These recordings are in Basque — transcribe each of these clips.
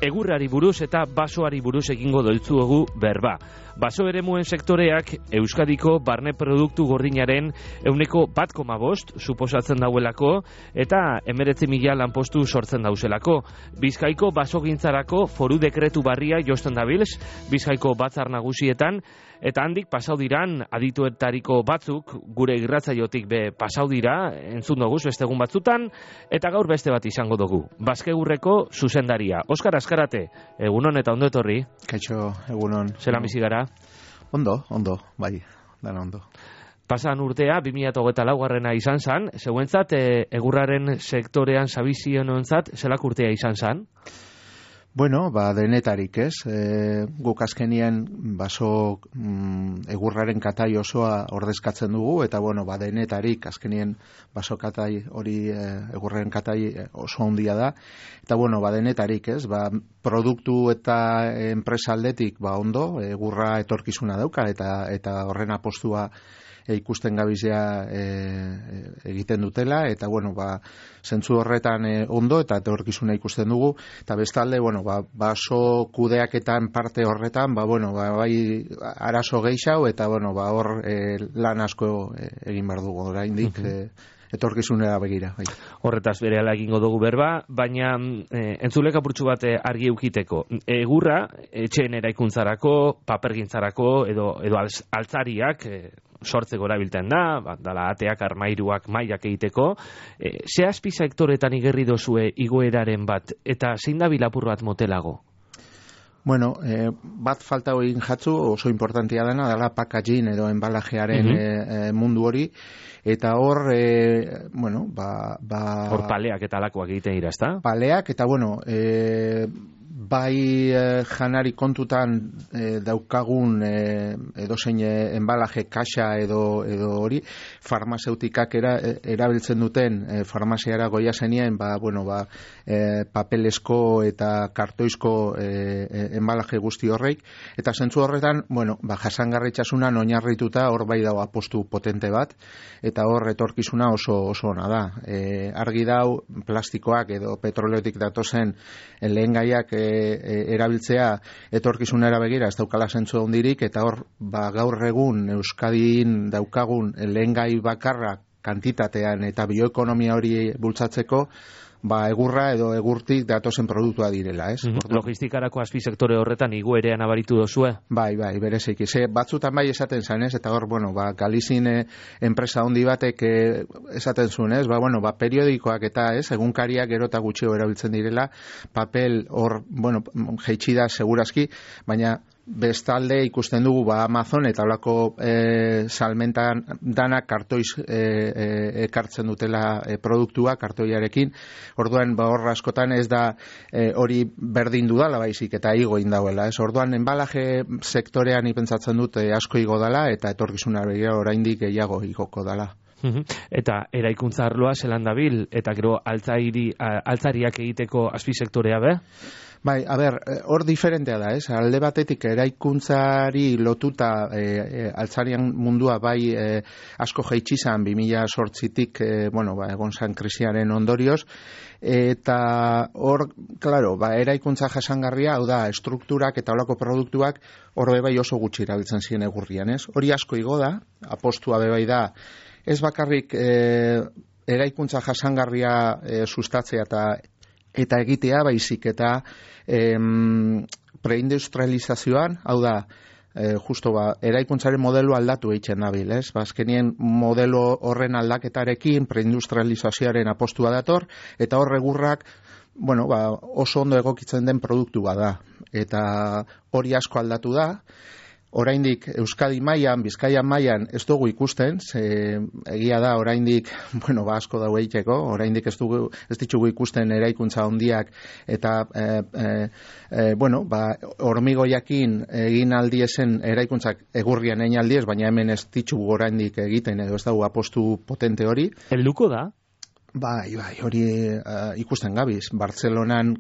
egurrari buruz eta basoari buruz egingo doitzuegu berba. Baso eremuen sektoreak Euskadiko barne produktu gordinaren 1,5% suposatzen dauelako eta 19.000 lanpostu sortzen dauzelako. Bizkaiko basogintzarako foru dekretu barria josten dabilz, Bizkaiko batzar nagusietan, eta handik pasau diran adituetariko batzuk, gure irratzaiotik be pasau dira, entzun dugu beste egun batzutan, eta gaur beste bat izango dugu. Baskegurreko zuzendaria. Oskar Azkarate, egunon eta ondo etorri. Kaixo, egunon. Zelan bizi gara? Ondo, bai, dana ondo. Pasan urtea, 2024 izan zan, zeuentzat, egurraren sektorean zabizionontzat, zelak urtea izan zan? Bueno, denetarik, ez? Guk azkenien baso egurraren katai osoa ordezkatzen dugu, eta bueno, denetarik azkenien baso katai hori egurraren katai oso handia da. Eta bueno, denetarik, ez? Produktu eta enpresa aldetik ondo, egurra etorkizuna dauka, eta horren apostua ikusten gabizea egiten dutela, eta bueno, zentzu horretan ondo eta etorkizuna ikusten dugu, eta bestalde, bueno, baso kudeaketan parte horretan, bai arazo gehiago, eta bueno, hor lan asko egin behar dugu oraindik, etorkizunera begira. Bai. Horretaz berehala egingo dugu berba, baina entzulek apurtxu bat argi eukiteko. Egurra, etxeen eraikuntzarako, papergintzarako, edo altzariak, sortzeko erabiltzen da, dala ateak, armairuak, mailak egiteko. Ze azpi sektoretan igerri dozue igoeraren bat, eta zein da bilapur bat motelago? Bueno, bat falta egin jatzu, oso importantia dena, dala packaging edo embalajearen mundu hori, eta hor, bueno, hor paleak eta alakoak egiten dira, ezta? Paleak, eta bueno, bai janari kontutan daukagun edozein embalaje kaxa edo hori, farmazeutikak erabiltzen duten farmaziara goia zenien, papelesko eta kartoizko embalaje guzti horreik, eta zentzu horretan, bueno, jasangarritxasuna oinarrituta hor bai dago apostu potente bat, eta hor etorkizuna oso ona da. Argi dau plastikoak edo petroleotik datozen lehengaiak erabiltzea etorkizunera begira ez daukala zentzu handirik, eta hor gaur egun Euskadin daukagun lehengai bakarra kantitatean eta bioekonomia hori bultzatzeko egurra edo egurtik datozen produktua direla, ez? Logistikarako azpi sektore horretan igoerean abaritu dozue? Bai, bereziki. Batzutan bai esaten zanez, eta hor, bueno, Galizin enpresa handi batek esaten zuen, ez? Periodikoak eta, ez? Egunkariak gero eta gutxio erabiltzen direla, papel hor, bueno, jeitsi da segurazki, baina bestalde ikusten dugu Amazon eta holako salmentan dana kartoiz ekartzen dutela produktua kartoiarekin. Orduan hor askotan ez da hori berdin dudala baizik eta igo indauela. Orduan enbalaje sektorean ipentsatzen dute asko igo dela eta etorkizuna begira oraindik gehiago igoko dela. Eta eraikuntza arloa zelan dabil eta gero altzariak egiteko azpisektorea be? Bai, hor diferentea da, ez? Alde batetik eraikuntzari lotuta altzarian mundua bai asko jaitsi zan 2008tik, egon zan krisiaren ondorioz, eta hor, claro, eraikuntza jasangarria, hau da, estrukturak eta olako produktuak hor bai oso gutxi erabiltzen ziren egurrian, ez? Hori asko igo da, apostua bai da, ez bakarrik eraikuntza jasangarria sustatzea eta egitea baizik eta preindustrializazioan, hau da, justo eraikuntzaren modelo aldatu eitzen dabil, ez? Azkenien modelo horren aldaketarekin preindustrializazioaren apostua dator, eta hor egurrak, oso ondo egokitzen den produktua da. Eta hori asko aldatu da, oraindik Euskadi mailan, Bizkaia mailan ez dugu ikusten, egia da oraindik, asko dago egiteko, oraindik ez ditugu ikusten eraikuntza handiak eta hormigoiakin egin aldiesen eraikuntzak egurrian egin aldiez, baina hemen ez ditugu oraindik egiten edo ez dago apostu potente hori. Helduko da? Bai, hori ikusten gabiz. Bartzelonan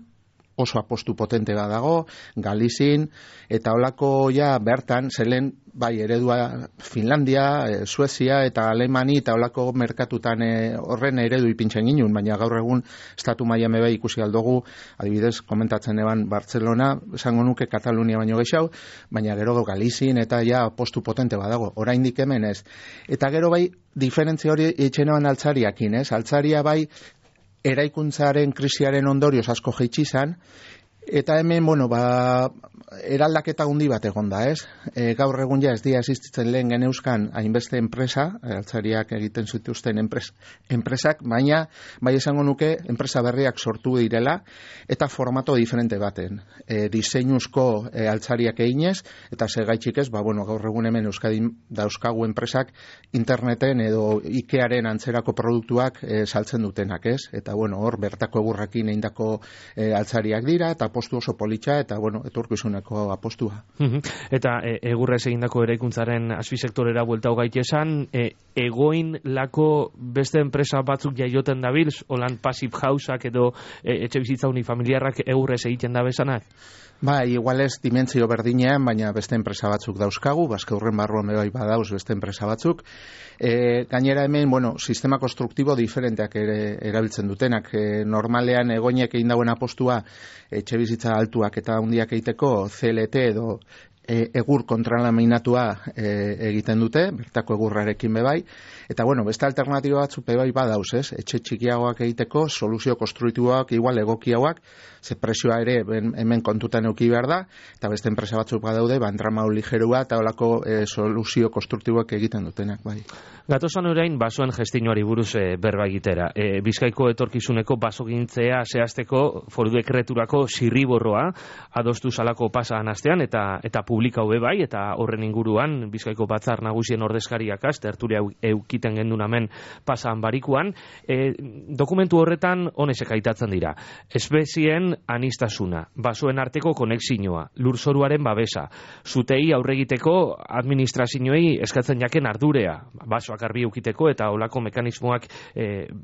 oso apostu potente bat dago, Galizin, eta holako ja bertan, zelen bai eredua Finlandia, Suezia eta Alemani eta holako merkatutan horren eredu ipintzen ginen, baina gaur egun estatu mailan bai ikusi aldugu, adibidez komentatzen eban Barcelona, esango nuke Katalunia baino gehiago, baina gero Galizin eta ja apostu potente bat dago, oraindik hemen ez. Eta gero bai diferentzia hori itxenoan altzariakin, ez? Altzaria bai eraikuntzaren krisiaren ondorioz asko jaitsi izan, eta hemen, bueno, eraldaketa handi bat egon da, ez? Gaur egun ja ez dira existitzen lehen geneuzkan hainbeste enpresa, altzariak egiten zituzten enpresak, baina bai esango nuke enpresa berriak sortu direla, eta formato diferente baten. Diseinuzko altzariak eginez, eta segaitxik ez, gaur egun hemen Euskadin dauzkagu enpresak interneten edo Ikearen antzerako produktuak saltzen dutenak, ez? Eta, hor bertako egurrakin eindako altzariak dira, eta apostu oso politxa, eta, etorkizuneko apostua. Eta egurrez egindako eraikuntzaren azpisektorera bueltau gaitesan, egoin lako beste enpresa batzuk jaioten dabilz, holan Passive Houseak edo etxe bizitza unifamiliarrak egurrez egiten da bezanak? Igual ez dimentsio berdinean, baina beste enpresa batzuk dauzkagu, Baskeurren barruan bai badauz beste enpresa batzuk. Gainera hemen, sistema konstruktibo diferenteak erabiltzen dutenak. Normalean egoinek egin dauen apostua etxe bizitza altuak eta handiak egiteko CLT edo egur kontralaminatua egiten dute, bertako egurrarekin bebai, eta beste alternatiba batzuk bebai badauz, ez? Etxe txikiagoak egiteko, soluzio konstruitiboak igual egokiagoak, ze presioa ere hemen kontutan euki behar da, eta beste enpresa batzuk badaude, entramadu ligerua eta holako soluzio konstruktiboak egiten dutenak, bai. Gatozan orain basoen gestinoari buruz berba egitera. Bizkaiko etorkizuneko basogintzea zehazteko foru dekreturako zirriborroa adostu salako pasan astean eta publikau bai, eta horren inguruan Bizkaiko batzar nagusien ordezkariak tertulia eukiten gendun hemen pasan barikuan. Dokumentu horretan honesek aitatzen dira. Espezien anistasuna, basoen arteko konexinoa, lurzoruaren babesa, zutei aurregiteko administrazioei eskatzen jaken ardurea, basoak arbi eukiteko eta olako mekanismoak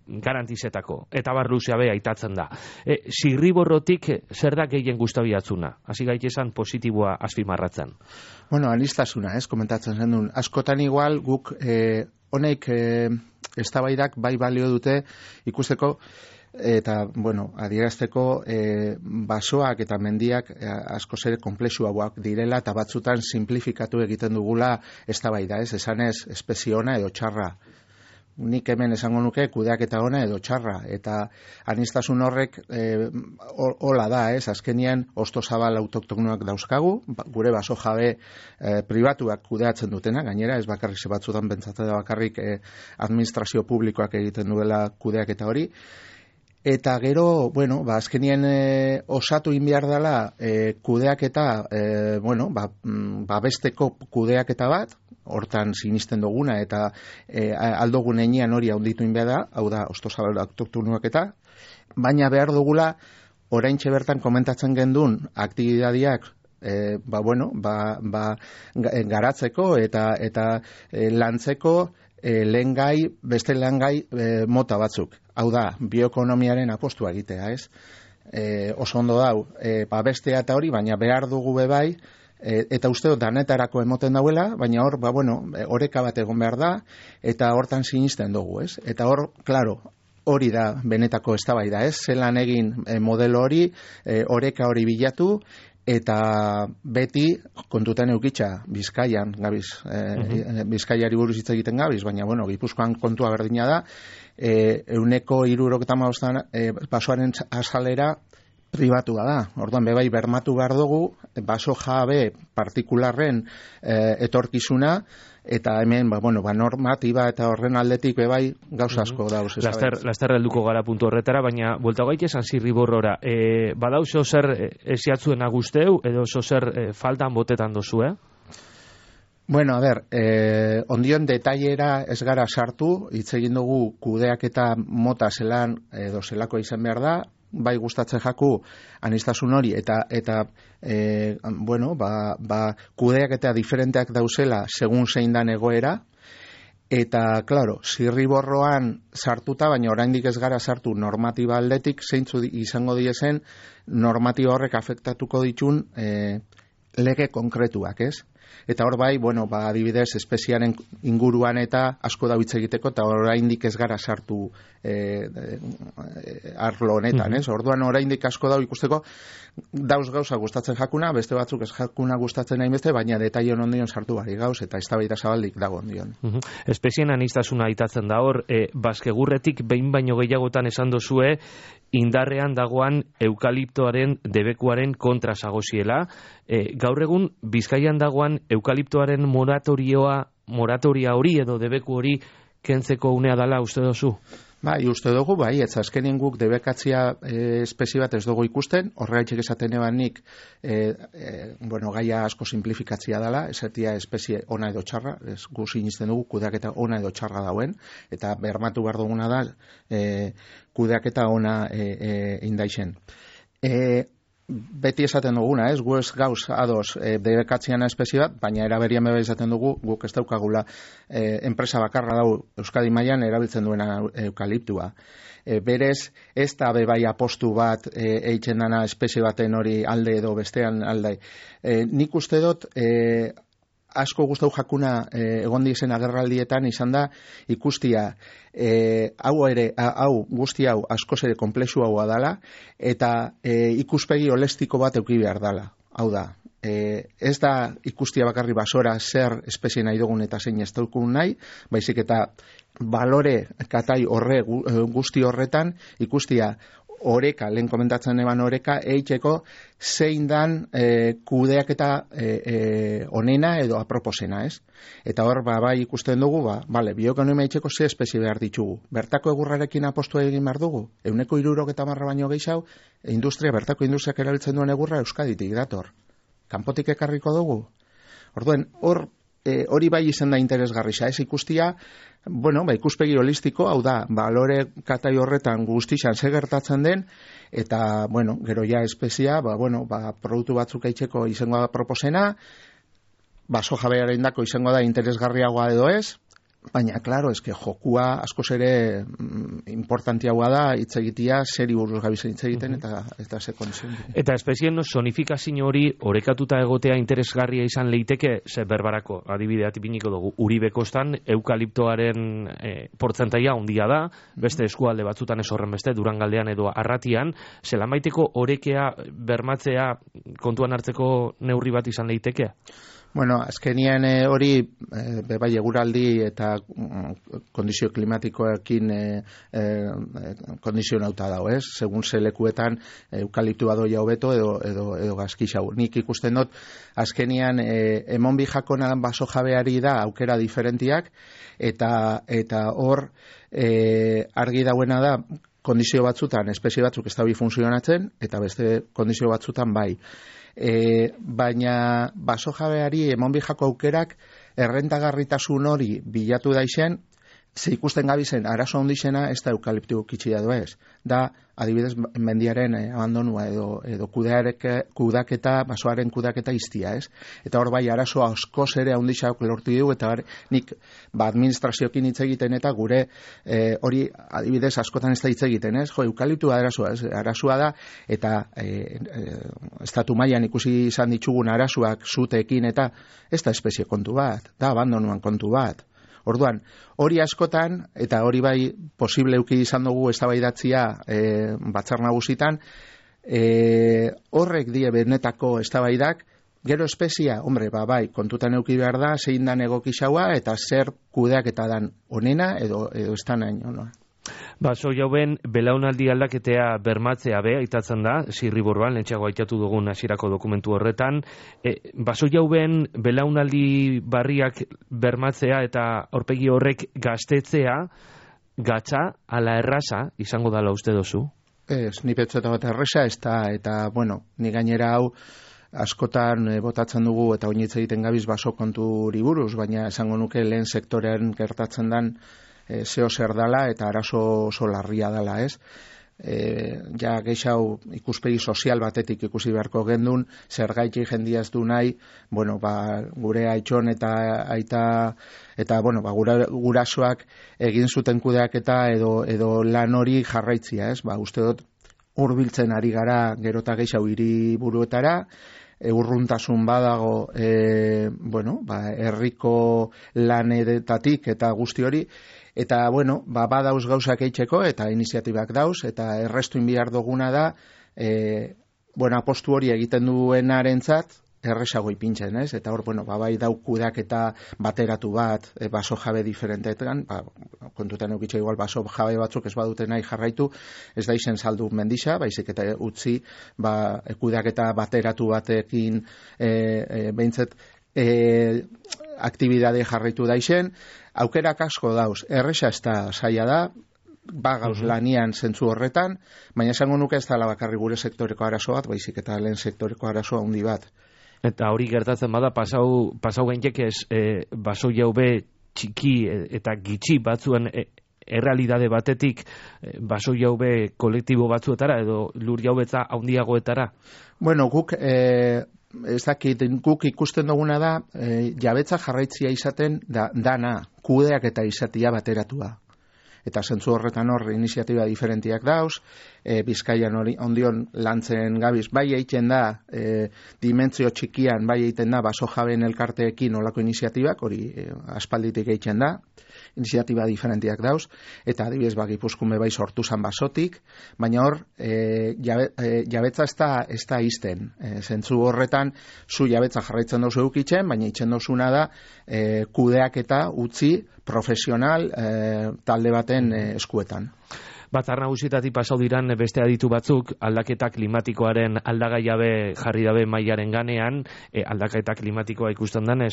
garantizetako. Eta barluzea be aitatzen da. Zirriborrotik zer da gehien gustabiatzuna? Hasi gaitesan positiboa azpimarratzen. Anistasuna, komentatzen zen duen. Askotan igual guk honek eztabaidak bai balio dute ikusteko eta, adierazteko basoak eta mendiak asko ere konplexuagoak direla eta batzutan simplifikatu egiten dugula eztabaida, esanez espezie ona edo txarra. Nik hemen esango nuke kudeaketa ona edo txarra, eta anistasun horrek hola da, azkenian ostozabal autoktonoak dauzkagu, gure baso jabe pribatuak kudeatzen dutena, gainera ez bakarrik ze batzutan bentsatzen da bakarrik administrazio publikoak egiten duela kudeaketa hori. Eta gero, azkenien osatu inbiar dela kudeaketa, babesteko kudeaketa bat, hortan sinisten duguna eta aldogun enean hori haunditu inbiar da, hau da, ostozabal autoktonoak eta, baina behar dugula, oraintxe bertan komentatzen gendun aktibidadiak garatzeko eta lantzeko beste langai mota batzuk. Hau da, bioekonomiaren apostua egitea, ez? Oso ondo dau, babestea eta hori, baina behar dugu bebai, eta uste danetarako emoten dauela, baina hor, oreka bat egon behar da, eta hortan sinisten dugu, ez? Eta hor, klaro, hori da benetako eztabaida, ez? Zelan egin modelo hori, oreka hori bilatu, eta beti kontutan eukitza Bizkaian gabiz, Bizkaiari buruz hitz egiten gabiz, baina Gipuzkoan kontua berdina da, 175 basoaren azalera pribatua da. Orduan bebai bermatu behar dugu baso jabe partikularren etorkizuna, eta hemen normatiba eta horren aldetik bebai gauza asko dauz. Laster helduko gara puntu horretara, baina buelta gaite esan zirriborrora. Badau zer esiatzuena guzteu, edo zer faltan botetan dozu, ondion detailera ez gara sartu, hitz egin dugu kudeaketa mota zelan edo zelako izan behar da, bai gustatzen jaku anistasun hori eta kudeaketa diferenteak dauzela segun zein dan egoera, Eta, klaro, zirriborroan sartuta, baina oraindik ez gara sartu normatiba aldetik, zeintzu izango diezen normatiba horrek afektatuko ditun lege konkretuak, ez? Eta hor bai, bueno, adibidez, espeziaren inguruan eta asko da hitz egiteko, eta oraindik ez gara sartu arlo honetan, ez? Orduan oraindik asko da ikusteko, dauz gauza gustatzen jakuna, beste batzuk ez jakuna gustatzen nahi beste, baina detaion ondion sartu bari gauz, eta eztabaida zabaldik dago ondion. Espezien aniztasuna aitatzen da hor, Baskegurretik behin baino gehiagotan esan dozue, indarrean dagoan eukaliptoaren debekuaren kontra zagoziela. Gaur egun, Bizkaian dagoan eukaliptoaren moratoria hori edo debeku hori kentzeko unea dala uste dozu? Bai, uste dugu, bai, ez azkenien guk debekatzia espezie bat ez dugu ikusten, horregaitxek esaten eban nik, gaia asko simplifikatzia dela, esatia espezie ona edo txarra, ez gu sinisten dugu kudeaketa ona edo txarra dauen, eta bermatu behar duguna da kudeaketa ona indaixen. Beti esaten duguna, ez, gu ez gauz ados debekatziana espezie bat, baina eraberian beba esaten dugu, guk ez daukagula enpresa bakarra dau Euskadi mailan erabiltzen duena eukaliptua. Berez, ez da bebai apostu bat eitzen dana espezie baten hori alde edo bestean alde. Nik uste dut, asko gustau jakuna egon dizen agerraldietan izan da ikustia hau guzti hau askoz ere konplexuagoa dela eta ikuspegi holistiko bat eduki behar dela. Hau da, ez da ikustia bakarri basora zer espezie nahi dugun eta zein ez dugun nahi, baizik eta balore katai horre guzti horretan ikustia oreka, lehen komentatzen eban oreka, eiteko zein dan kudeaketa onena edo aproposena, ez? Eta hor, bai ikusten dugu, bioekonomia eitzeko ze espezie behar ditugu. Bertako egurrarekin apostua egin behar dugu. 160 baino gehiago, bertako industriak erabiltzen duen egurra Euskaditik dator. Kanpotik ekarriko dugu. Orduen, hori bai izan da interesgarrisa, ez ikustia, ikuspegi holistiko, hau da, balore katai horretan guztixan ze gertatzen den, eta, gero ja espezia, produktu batzuk eitzeko izango da proposena, baso jabearen dako izango da interesgarriagoa edo ez, baina, klaro, eske jokua askoz ere importantiagoa da hitz egitea seri buruz gabizen hitz egiten eta ze kondizioen. Eta espezien sonifikazio hori orekatuta egotea interesgarria izan leiteke, ze berbarako adibidea tipiniko dugu, Uribekostan eukaliptoaren portzentaia handia da, beste eskualde batzutan ez horren beste, Durangaldean edo Arratian, zelamaiteko orekea bermatzea kontuan hartzeko neurri bat izan leiteke? Azkenien hori bebai eguraldi eta kondizio klimatikoekin kondizionauta dago, ez? Segun ze lekuetan eukaliptua doia hobeto edo gaskixau. Nik ikusten dut, azkenian emon bi jakona baso jabeari da aukera diferentiak eta hor argi dauena da kondizio batzutan, espezie batzuk ez da bi funtzionatzen eta beste kondizio batzutan bai. Baina baso jabeari emon bijako aukerak errentagarritasun hori bilatu daixen, ze ikusten gabizen arazo handixena ez da eukaliptu kitxia du ez. Da, adibidez, mendiaren abandonua edo kudaketa, basoaren kudaketa iztia ez. Eta hor bai arazoa askoz ere handixak lortu dugu eta nik administraziokin hitz egiten eta gure hori adibidez askotan ez da hitz egiten ez. Eukaliptua arazoa da eta estatu mailan ikusi izan ditugun arazoak zuteekin eta ez da espezie kontu bat, da abandonuan kontu bat. Orduan, hori askotan, eta hori bai posible euki izan dugu eztabaidatzia batzar nagusitan, horrek die benetako eztabaidak, gero espezia, bai, kontutan euki behar da, zein dan egokixaua, eta zer kudeak eta dan onena edo ez da nahi, no? Baso jauen belaunaldi aldaketea bermatzea aitatzen da, Zirriborroan, lehentxeago aitatu dugun hasierako dokumentu horretan. Baso jauen belaunaldi barriak bermatzea eta aurpegi horrek gaztetzea, gatza ala erraza izango dala uste dozu? Ez, ni petxota bat erraza ez da, eta, ni gainera hau askotan botatzen dugu eta oinitz egiten gabiz baso konturi buruz, baina esango nuke lehen sektorean gertatzen dan zeo zer dala eta arazo oso larria dala, ez? ja geixau ikuspegi sozial batetik ikusi beharko gendun, zergaitik jendia ez du nahi, bueno, gure aitxon eta aita eta bueno, gurasoak egin zuten kudeaketa edo lan hori jarraitzia, ez? Uste dut hurbiltzen ari gara gerota geixau hiriburuetara, urruntasun badago herriko lanetatik eta guzti hori, eta bueno, badauz gauzak eitzeko eta iniziatibak dauz, eta errestuin behar duguna da apostu hori egiten duenarentzat erresago ipintzen, ez? Eta hor, bai daukudak eta bateratu bat, baso jabe diferentetan, kontutan eukitxe igual baso jabe batzuk ez baduten nahi jarraitu, ez da izen saldu mendixa, baizik eta utzi, kudak eta bateratu batekin behintzet aktibidade jarraitu daizen, aukerak asko dauz, erresa ez da zaila da, gauz lanian zentzu horretan, baina esango nuke ez da bakarri gure sektoreko arazo bat, baizik eta lehen sektoreko arazoa handi bat. Eta hori gertatzen bada, pasau gainek ez baso jaube txiki eta gitxi batzuen errealidade batetik baso jaube kolektibo batzuetara edo lur jaubetza handiagoetara? Bueno, guk ikusten duguna da jabetza jarraitzia izaten dana, kudeak eta izatia bateratua. Eta zentzu horretan hor iniziatiba diferentiak dauz, Bizkaian ondion lantzen gabiz, bai egiten da, dimentsio txikian bai egiten da, baso jabeen elkarteekin olako iniziatibak, hori aspalditik egiten da, iniziatiba diferentiak dauz, eta adibidez Gipuzkoan bai sortu zan basotik, baina hor, jabetza ez da izten. Zentzu horretan, zu jabetza jarraitzen dozu eukitzen, baina itzen dozuna da, kudeak eta utzi profesional talde baten eskuetan. Batzar Nagusietatik pasau diran beste aditu batzuk aldaketa klimatikoaren aldagai jabe jarri dabe mailaren ganean, aldaketa klimatikoa ikusten danez,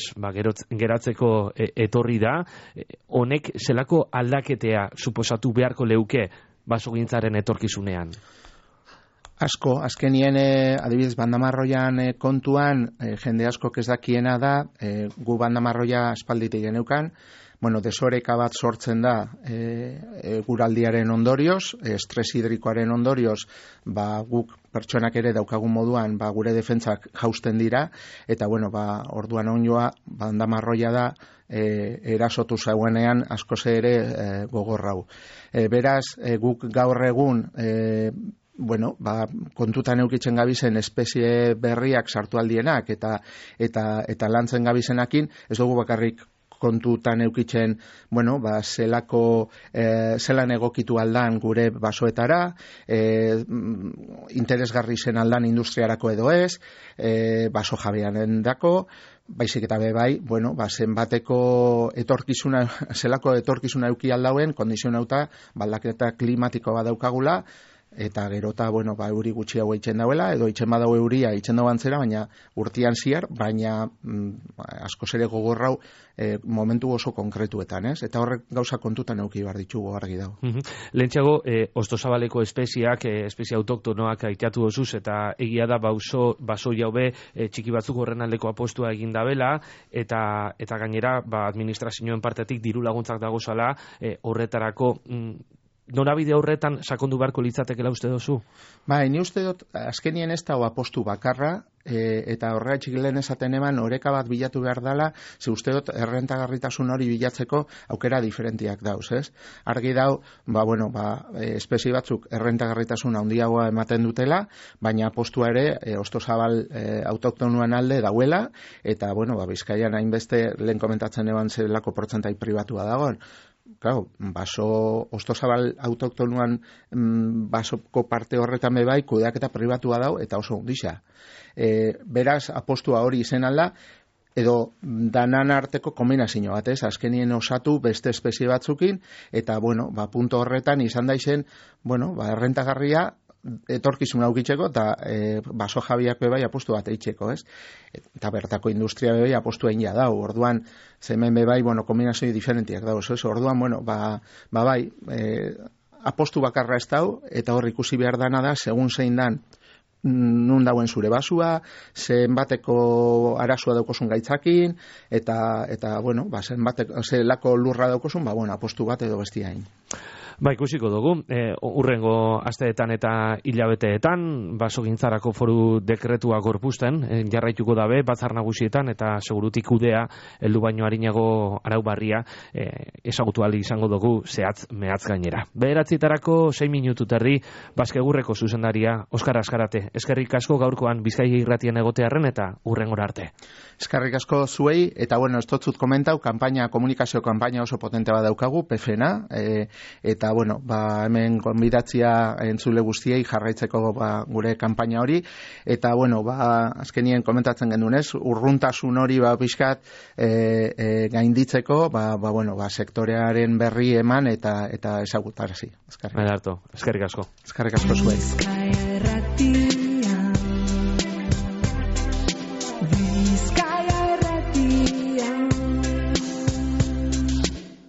geratzeko etorri da. Honek zelako aldaketea suposatu beharko leuke basogintzaren etorkizunean? Asko, azkenien adibidez bandamarroian kontuan jende asko ez dakiena da, gu bandamarroia aspalditik geneukan, desoreka bat sortzen da guraldiaren ondorioz, estres hidrikoaren ondorioz, guk pertsonak ere daukagun moduan gure defentsak jausten dira, eta orduan onjoa bandamarroia da erasotu zauenean askoz ere gogorrau. Beraz, guk gaur egun kontutan eukitzen gabizen espezie berriak sartu aldienak eta lantzen gabizenakin, ez dugu bakarrik kontutan eukitzen, zelan egokitu aldan gure basoetara, interesgarri zen aldan industriarako edo ez, baso jabean dako, baizik eta bai, zenbateko etorkizuna, zelako etorkizuna euki aldauen, kondizionauta, aldaketa klimatiko badaukagula, eta gerota, euri gutxi hau eitzen dauela, edo eitzen badau euria eitzen dau antzera, baina urtian ziar, baina askoz ere gogorrau momentu oso konkretuetan, ez? Eta horrek gauza kontutan euki behar ditugu argi dago. Lehentxago, Ostozabaleko espeziak, espezie autoktonoak aitatu dozuz, eta egia da baso jaube txiki batzuk horren aldeko apostua egin dabela, eta gainera, administrazioen partetik diru laguntzak dagozala horretarako. Norabide horretan sakondu beharko litzatekela uste dozu? Ni uste dut, azkenien ez dago apostu bakarra, eta horregatik lehen esaten eman oreka bat bilatu behar dela, ze uste dut errentagarritasun hori bilatzeko aukera diferentiak dauz, ez? Argi dau, espezie batzuk errentagarritasun handiagoa ematen dutela, baina apostua ere Ostozabal autoktonuan alde dauela, eta Bizkaian hainbeste lehen komentatzen eban zelako portzentai pribatua dagoen. Claro, Ostozabal autoktonuan basoko parte horretan bai, kudeaketa pribatua dau, eta oso hundixa. Beraz, apostua hori izen alda, edo danan arteko kombinazio bat, ez? Azkenien osatu beste espezie batzukin, eta, punto horretan izan daizen, errentagarria, etorkizun aukitzeko eta baso jabiak bebai apostu bat eitzeko, ez? Eta bertako industria bebai apostu egin dau. Orduan, zemen bebai, kombinazio diferentiak dauz, ez? Orduan, bai, apostu bakarra ez dau, eta hor ikusi behar dana da, segun zein dan, nun dauen zure basua, zenbateko arazoa daukosun gaitzakin, eta zenbateko lako lurra daukosun, apostu bat edo bestiain. Ba, ikusiko dugu, urrengo asteetan eta hilabeteetan, basogintzarako foru dekretua gorpusten, jarraituko dabe, batzar nagusietan, eta segurutik udea, heldu baino arinago arau barria, ezagutu ahal izango dugu zehatz mehatz gainera. 9:00 6 minutu terdi, Baskegurreko zuzendaria, Oskar Askarate. Eskerrik asko gaurkoan Bizkaia irratien egotearren eta urrengora arte. Eskerrik asko zuei, eta bueno, ez dotzut komentau, komunikazio kanpaina oso potente bat daukagu, PFN-a, eta bueno, hemen konbidatzia entzule guztiei jarraitzeko gure kanpaina hori, eta bueno, azkenien komentatzen gendunez, urruntasun hori pixkat gainditzeko, sektorearen berri eman eta ezagutarazi. Eskerrik asko. Eskerrik asko zuei.